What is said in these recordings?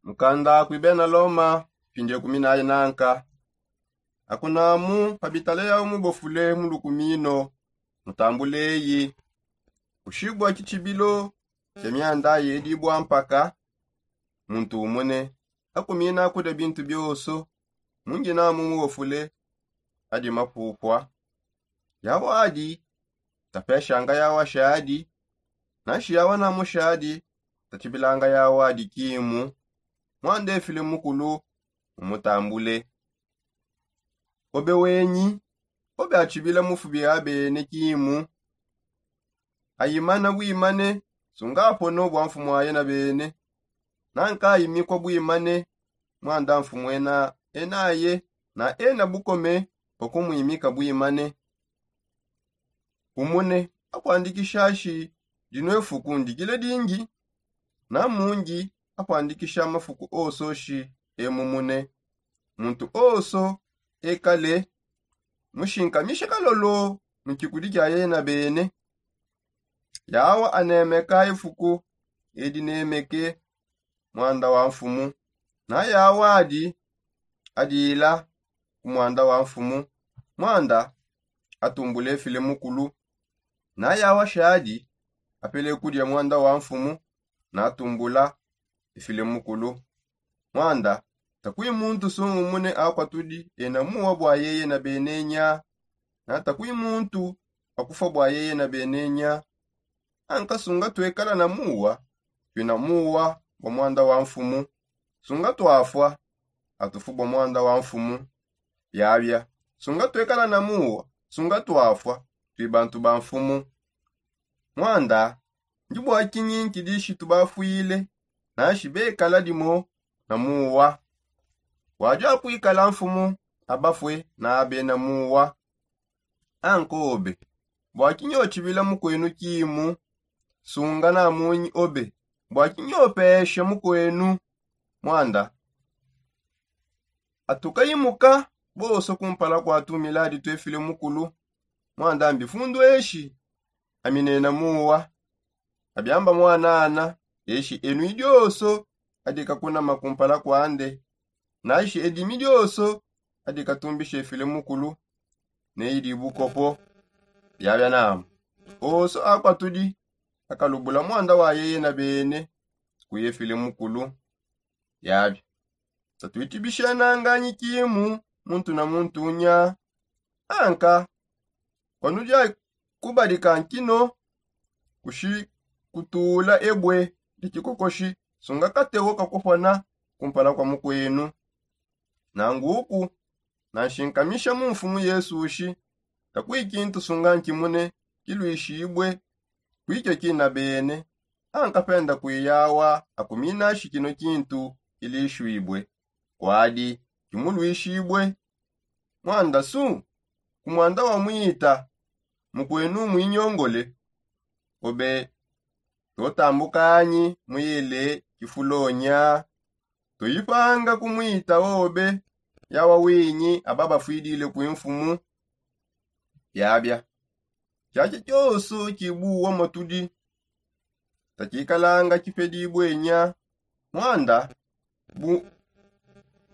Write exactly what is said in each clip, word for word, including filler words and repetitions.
Mukanda kui bena loma. Pindie kumi naye nanka. Akunamu pabitala yawu mubofule mulukumino. Mutambuleyi. Kushibua kitshibilo kia mianda yedibua mpaka muntu umune. Akumina kudia bintu bioso. Munginamu mubofule adi mapupua. Yawa adi tapeshanga yawa shadi. Nashi yawa namu shadi tatshibilanga yawa adi kimu. Mwanda efile mukulu umutambule. Obe wenyi obe atshibila mufubi abene kimu. Ayimana bwimane. Sunga apono bua mfumu aye na bene. Nanka ayimikua bwimane. Mwanda mfumu ena enaye na ena bukome bua kumwimika bwimane. Umune akuandikisha shi dinu efuku ndikile dingi. Namungi akuandikisha mafuku oso shi emumune. Muntu oso ekale mushinkamishe kalolo mu kikudi kia yena bene. Yawa anemeka efuku edi nemeke mwanda wa mfumu. Na yawa adi adila ku mwanda wa mfumu. Mwanda atumbula efile mukulu. Na yawa shadi apele kudia mwanda wa mfumu. Na atumbula efile mukulu. Mwanda takui muntu sungumune akua tudi ena muwa bua yeye na benenya. Na takui muntu akufua bua yeye na benenya. Anka sunga tuekala na muwa tuina muwa bua mwanda wa mfumu. Sunga tuafua atufu bua mwanda wa mfumu. Biabia sunga tuekala na muwa sunga tuafua tui bantu ba mfumu. Mwanda ndi bua kinyi nkidishitu bafuile? Nashi bekala dimo na muwa. Wadi akuikala mfumu abafue na abena muwa. Ankobe bua kinyi otshibila mukuenu kimu? Sunga namunyi obe bua kinyi opesha mukuenu mwanda. Atukayimuka bonso kumpala kua tumiladi tuefile mukulu. Mwanda mbifundu eshi aminena muwa. Abiamba mwanana eshi enui dioso adikakunama kumpala kuande. Nashi edimi dioso adikatumbisha efile mukulu. Neyi dibukopo. Biabia namu oso akua tudi akalubula mwanda wa yeye na bene kuya efile mukulu. Biabia tatuitibisha nanganyi kimu muntu na muntu unya. Anka kuanudia kubadika nkino kushi kutula ebue dia kikokoshi. Sunga katewo kakupana kumpala kua mukuenu. Nanguku nanshinkamisha mu mfumu yesu ushi. Takui kintu sunga nkimune kiluishibue kuikio kina bene. Ankapenda kuiyawa akuminashi kino kintu kilishuibue kuadi kimuluishibue. Mwanda su ku mwanda wa mwita mukuenu muinyongole. Obe totambukanyi muyele kifulonya. Tuyipanga ku mwita obe yawa winyi aba bafuidile ku mfumu. Biabia tshiatshi tshioso tshibuwa motudi tatshikalanga tshipedibue nya. Mwanda bu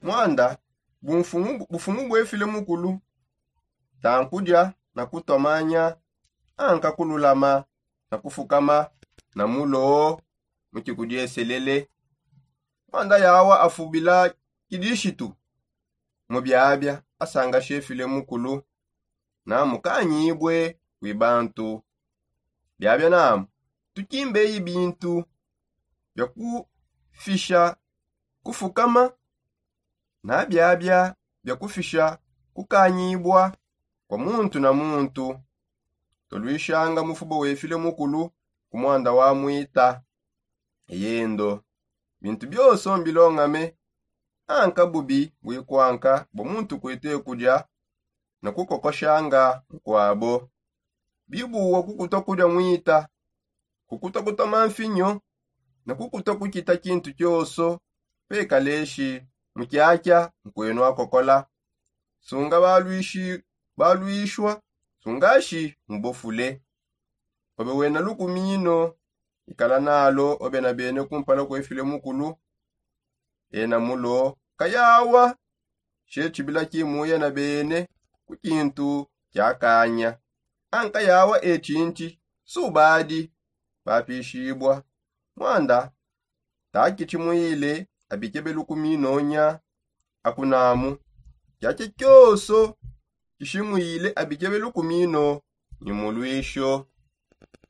mwanda bufumu buefile mukulu tankudia na kutomanya anka kululama na kufukama na mulo mu tshikudieselele. Mwanda yawa afubila kidishitu mu biabia asanga shefile mukulu na mukanyibue kwi bantu. Biabia namu tukimbeyi bintu bia kufisha kufukama na biabia bia kufisha kukanyibua kua muntu na muntu. Toluishanga mufuba wefile mukulu ku mwanda wa mwita. Eyendo bintu bionso mbilongame. Anka bubi buikuanka bua muntu kuete kudia ne kukokoshanga nkuabo. Bibuwa kukutua kudia mwita kukutua kutoma mfinyo ne kukutua kukita kintu kioso. Pekaleshi mukiakia nkuenu akokola. Sunga baluishi baluishua sungashi mubofule. Obe wena lukumino ikala nalo obe na bene kumpala kuefile mukulu. ena mulo kayawa. She tshibila kimuya na bene ku kintu kiakanya ankayawa etshintshi subadi. Bapishibua mwanda takitshimwile abikebe lukuminonya akunamu. Kiakia kioso kishimwile abikebe lukumino ni mulwisho.